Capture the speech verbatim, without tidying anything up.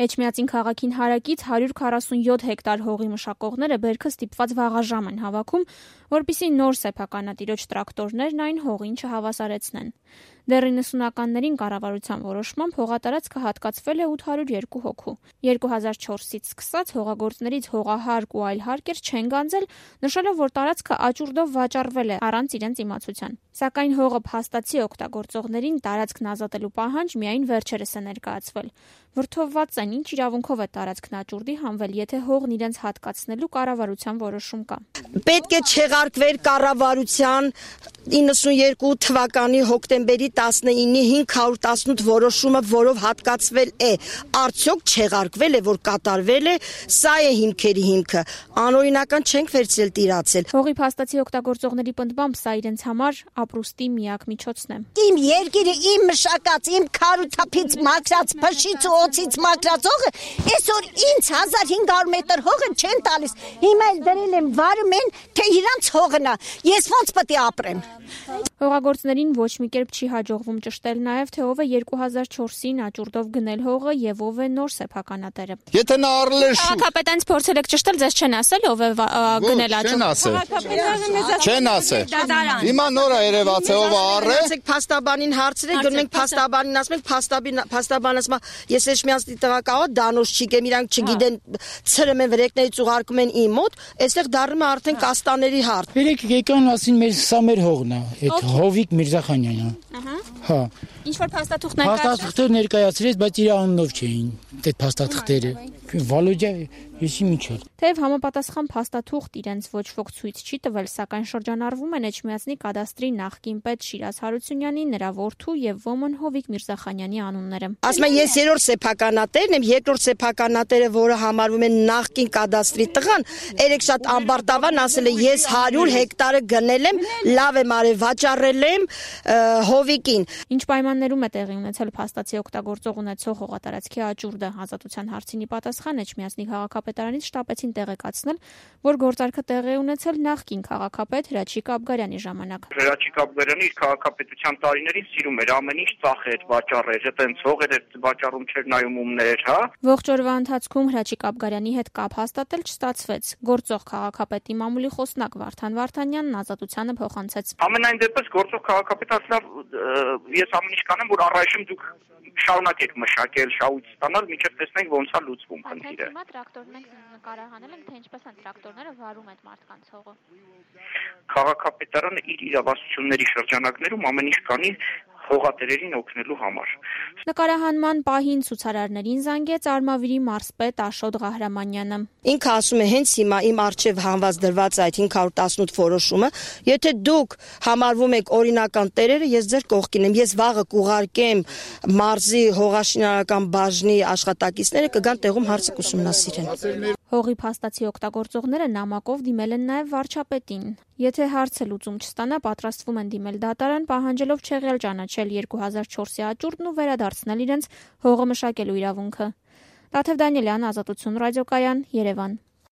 Էջմիածին քաղաքին հարակից հարյուր քառասունյոթ հեկտար հողի մշակողները բերքը ստիպված վաղաժամ են հավաքում, որպեսզի նոր սեփականատիրոջ տրակտորներն այն հողին չհավասարեցնեն։ Դեռ իննսունականներին կառավարության որոշմամբ հողատարածքը հատկացվել է ութ հարյուր երկու հոգու։ երկու հազար չորսից սկսած հողագործներից հողահարկ ու այլ հարկեր չեն գանձել, նշելով, որ տարածքը աճուրդով վաճառվել է առանց իրենց իմացության։ Սակայն հողը փաստացի օգտագործողներին տարածքն ազատելու պահանջ միայն վերջերս է ներկայացվել։ Վրդովված են, ինչ իրավունքով է տարածքն աճուրդի հանվել, եթե հողն իրենց հատկացնելու կառավարության որոշում կա։ Պետք է չեղարկվեր կառավարության իննսունյերկու թվականի հոկտեմբերի տասնինի հինգ հարյուր տասնութ որոշումը, որով հատկացվել է, արդյոք չեղարկվել է, որ կատարվել է, սա է հիմքերի հիմքը, անօրինական չենք վերցրել տիրացել։ Հողի փաստացի օգտագործողների պնդմամբ սա իրենց համար ապրուստի միակ միջոցն է։ Իմ երկիրը, իմ մշակած, իմ քարութափից մաքրած, փշից ու օծից մաքրած հողը, այսօր ինձ հազար հինգ հարյուր մետր հողը չեն տալիս։ Հիմա էլ դրել եմ վարում են, թե իրանց հողն է, ես ոնց պետք է ապրեմ։ Հողագործներին ոչ մի կերպ չի հաջողվում ճշտել նաև, թե ով է երկու հազար չորսին աճուրդով գնել հողը եւ ով է նոր սեփականատերը։ Եթե նա առել է շուտ։ Քաղաքապետանից փորձել եք ճշտել, ձեզ չեն ասել ով է գնել աճուրդ։ Չեն ասել։ Հիմա նոր է երևաց ով է առել։ Ասեք փաստաբանին հարցրեք, գնում ենք փաստաբանին, ասում ենք փաստաբան փաստաբանը ասում է ես Էջմիածնի տղակա դանոց չգեմ, իրանք չգիտեն, ցրում են վրեկներից ուղարկում են իմ մոտ, այստեղ դառնում է արդեն կաստաների հարց։ Երեք եկան ասին մեր սա մեր հողն է, այդ Հովիկ Միրզախանյանը։ Հա։ Ինչ որ փաստաթուղթ ներկայացրեց։ Փաստաթուղթ ներկայացրեց, բայց իր անունով չէին այդ փաստաթղթերը։ Վալոդյա եսի միջոց։ Թեև համապատասխան փաստաթուղթ իրենց ոչ ոք ցույց չի տվել, սակայն շրջանառվում են Էջմիածնի կադաստրի նախկին պետ Շիրազ Հարությունյանի, նրա որդու եւ ոմն Հովիկ Միրզախանյանի անունները։ Ասում եմ ես երրորդ սեփականատերն եմ, երկրորդ սեփականատերը, որը համարվում է նախկին կադաստրի տղան, երեք շատ ամբարտավան ասել է ես հարյուր հեկտարը գնել եմ, լավ եմ արել, վաճառել եմ Հովիկին։ Ինչ պայմաններում է տեղի ունեցել փաստացի օգտագործող ունեցող հողատարածքի աճուրդը, ազատության հարցինի պատասխան Էջմիածնի քաղաքապետարանից շտապեցին տեղեկացնել, որ գործարքը տեղի ունեցել նախկին քաղաքապետ Հրաչիկ Աբգարյանի ժամանակ։ Հրաչիկ Աբգարյանը իր քաղաքապետության տարիներին սիրում էր ամեն ինչ ծախեր, վաճառեր, այդպես հողեր վաճառում չէր նայում ումներ, հա։ Ողջ օրվա ընթացքում Հրաչիկ Աբգարյանի հետ կապ հաստատել չստացվեց։ Գործող քաղաքապետի մամուլի խոսնակ Վարդան Վարդանյանն ազատությանը փոխանցեց։ Ամենայն դեպս գործող քաղաքապետը ասավ ես ամեն ինչ կանեմ, որ առայժմ դուք շարունակեք մշակել, շահույթ ստանալ, մինչև տեսնենք ոնց է լուծվում խնդիրը։ Հիմա տրակտորներն նկարահանել են, թե ինչպես են տրակտորները վարում այդ մարդկանց հողը։ Քաղաքապետարանը իր իրավասությունների շրջանակներում ամեն ինչ կանի հողատերերին օգնելու համար։ Նկարահանման պահին ցուցարարներին զանգեց Արմավիրի մարզպետ Աշոտ Ղահրամանյանը։ Ինքը ասում է հենց հիմա իմ արչև հանված դրված այդ հինգ հարյուր տասնութ որոշումը, եթե դուք համարվում եք օրինական տերերը, ես ձեր կողքին եմ, ես վաղը կուղարկեմ մարզի հողաշինարարական բաժնի աշխատակիցները կգան տեղում հարցը կուսումնասիրեն։ Հողի փաստացի օգտագործողները նամակով դիմել են նաև վարչապետին։ Եթե հարցը լուծում չստանա, պատրաստվում են դիմել դատարան, պահանջելով չեղյալ ճանաչել երկու հազար չորսի աճուրդն ու վերադարձնել իրենց հողը մշակելու իրավունքը։ Տաթև Դանիելյան, Ազատություն ռադիոկայան, Երևան։